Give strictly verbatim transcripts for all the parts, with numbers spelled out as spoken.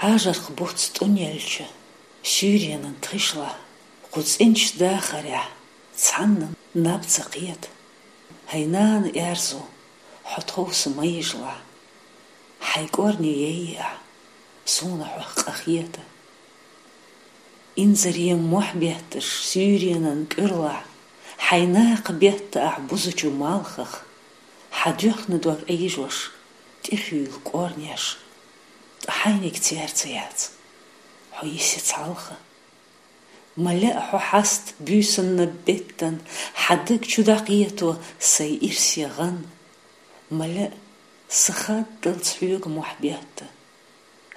Ӏажаркх буц тӀунъелча суьйренан тхишлахь, кху цӀенача дахарехь цхьанна наб ца кхета. ХӀай нана аьрзу, хьо тховса ма йижалахь, хьайн кӀорни яйъе ахь, суна хьох къа хета. Инзаре мохь бетташ суьйренан кӀуьрлахь, хьайн накха бетта ахь бузачу малхах, хьан доьхна дог Ӏийжош, тӀехуьйла кӀорнеш, ткъа хьайниг церца яц, хьо йисе цхьалха. Ма лаьа хьо хьаста буьйсанна беттан, хьан даг чу дӀакхето сайн ирсе гӀан. Ма лаьа са хаддалц хьоьга мохь бетта.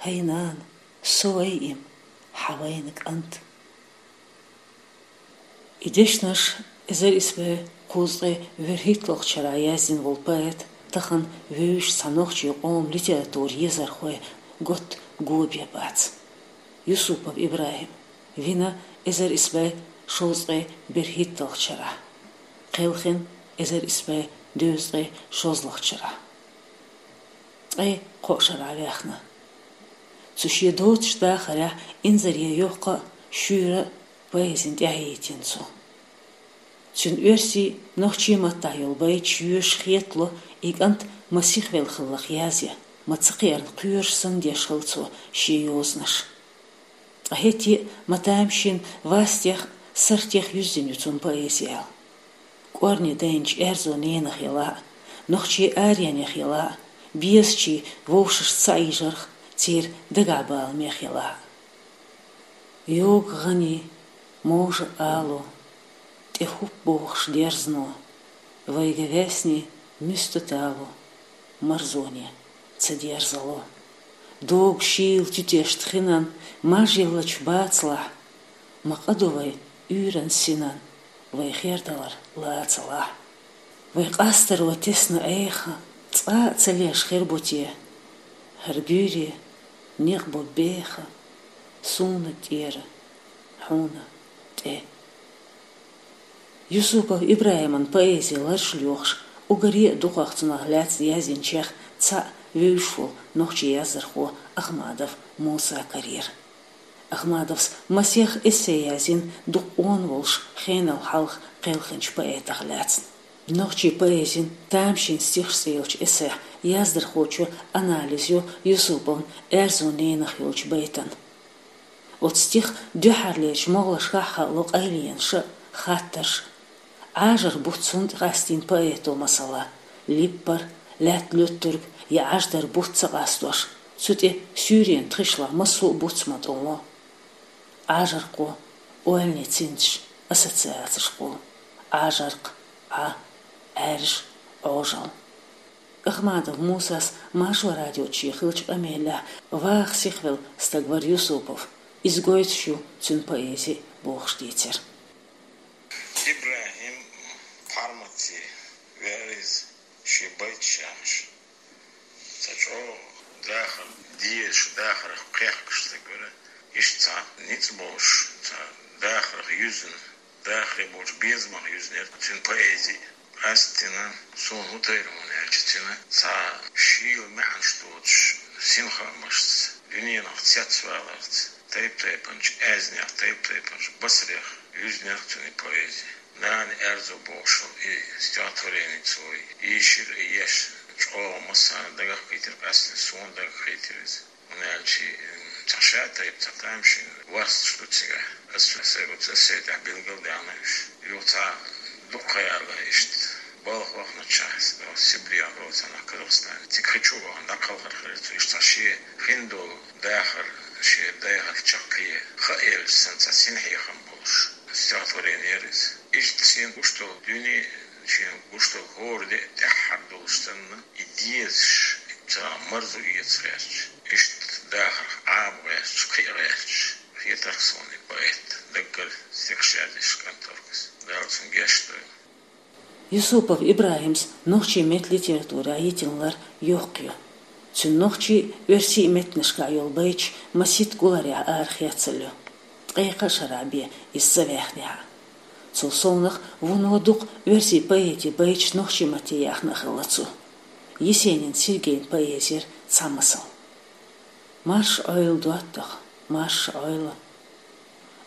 ХӀай нана, со вай-м, хьан вайна кӀант. И дешнаш эзар исс бӀе кхузткъе вуьрхӀитталгӀачу шарахь яздина волу поэт, тахана вевзаш цхьа нохчийн къоман литературан езархойн готта го бен бац. Юсупов ИбрахӀим, вина эзар исс бӀе шовзткъе берхӀитталгӀачу шарахь, кхелхина эзар исс бӀе дезткъе шозлагӀчу шарахь. Ткъе кхо шарахь ваьхна. Цу шен доцучу дахарехь инзаре йоккха а, шуьйра а поэзина тӀаьхьахӀиттийна цо. Цуьнан оьрсийн, нохчийн маттахь йолу байташ йоьшуш хетало, и кӀант ма сихвелла хиллакх язъян, ма ца кхиарна кхоьруш санна деш хилла цо шен йозанаш. Ткъа хӀетте а ма тамашийна вастех а, сартех а юьззина ю цуьнан поэзи аьлла. КӀорни дайначу аьрзу ненах елахь а, нохчийн аренех елахь а, безачийн вовшашца цхьаьна йижарх, церан дагахь баланех елахь а. Йогу гӀанийн, можа алу, тӀе хӀуп бохуш дерзано, вайга весний муьста талу, марзоне ца дерзало. Догу шийла туьтешна хинан маж йиллачу бацалахь, ма къа ду вай уьйран синан, вай хердалар лацалахь. Вай къастаро тесна Ӏеха, цкъа а ца леш хир бу те, хӀара буьйре некъ бу беха, суна тӀера, хьуна тӀе. Юсупов ИбрахӀиман поэзи лараш лоьхуш, уггаре а дукхах цунах лаьцна яздинчех цхьаъ вевзаш волу нохчийн яздархо Ахмадов Муса карийра. Ахмадовс масех эссе яздина дукха къона волуш хенал хьалха кхелхинчу поэтах лаьцна. Нохчийн поэзин тамашийна стихаш цӀе йолчу эссехь яздархочо анализ йо Юсуповн аьрзу ненах йолчу байтан. Оцу стиха дуьххьарлерчу могӀалашкахь хаало къайленаш а, хаттарш а. Ӏажар буц хӀунда къастийна поэто, масала, липпар, лаьтта луьттург я Ӏаждар буц ца къастош, цу тӀе суьйренан тхишлахь массо а буц ма тӀо ло. Ӏажаркхо, ойлане цинцаш, ассоциацешкхо, Ӏажаркх, Ӏа, Ӏаьржа, Ӏожалла. Ахмадов Мусас Маршо радиоца шен хиллачу къамелехь ваха сихвелла стаг вара Юсупов, иза гойтуш ю цуьнан поэзи бохуш дийцира. ИбрахӀим пхьарматте веара иза шен байташ яхьаш. Ца чӀогӀа дахар дезаш, дахарах кхехкаш стаг вара, иштта цхьа ницкъ болуш, цхьа дахарах юьзна, дахаре болчу безамах юьзнера цуьнан поэзи. Къаьсттина суна хӀун тайра хьуна аьлча, цуьнан цхьа шийла маьӀнаш доцуш синхаамашца, дуьненах цецваларца, тайп-тайпанчу аьзнех, тайп-тайпанчу басарех юьзнера цуьнан поэзи. Нана аьрзу бохуш йолу и стихотворени цо йийшира, и еш чӀогӀа массарна дагахкхийтира, къаьсттина суна дагахкхийтира иза. ХӀунда аьлча, м, цхьа шатайпа, цхьа тамашийна васташ ду цигахь. Ас сайн оцу эссе тӀехь билгалдаьхна уьш. Юха цхьа дукха ха яьлла иштта, балха вахначохь, Сибрех доцу хенахь Казахстане. Цига хи чу а вахана, дӀакхалхар хилира цо. Иштта цхьа шен хин долу дахар, шен дайхар чаккхе хаа елча санна, цхьа синхьехам болуш стихотворени яра иза. Иштта шена гуш долу дуьне, шена гуш долу хӀора де тӀаьххьара долуш санна, и дезаш, и цара марзо эца гӀерташ, иштта дахарх Ӏаба гӀерташ, кхиа гӀерташ хетарх суна и поэт, даггара стихаш язъеш кӀант вара иза. Дала цунна гечдойла. Юсупов ИбрахӀимс нохчийн меттан литературехь йитина лар йоккха ю. Цуьнан нохчийн а, оьрсийн а меттанашкахь йолу байташ масийтта гуларехь арахецалла ю, ткъе кхаа шарахь бен иза ца ваьхнехь а. Цул совнаха вуно дукха оьрсийн поэтийн байташ нохчийн матте яьхна а хилла цо. Есенин Сергейн поэзера цхьа масал. Марша Ӏойла, доттагӀа, марша Ӏойла.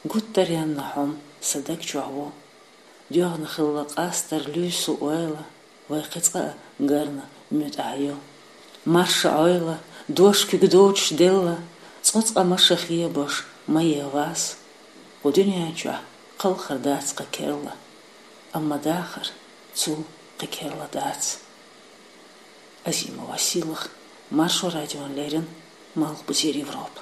Гуттар а янна хьо-м са даг чохь ву. ДоьгӀна хилла къастар, луьйсу ойла, вай кхин цкъа а гарна муьтӀахь ю. Марша Ӏойла, дош куьг доцуш делла, цкъа-цкъа маша хебош ма е вас. Кху дуьнен чохь кхалхар дац кхин керла, амма дахар цул кхин керла дац. Азимова Сийлаха, Маршо радиона леррина, Малхбузера Европа.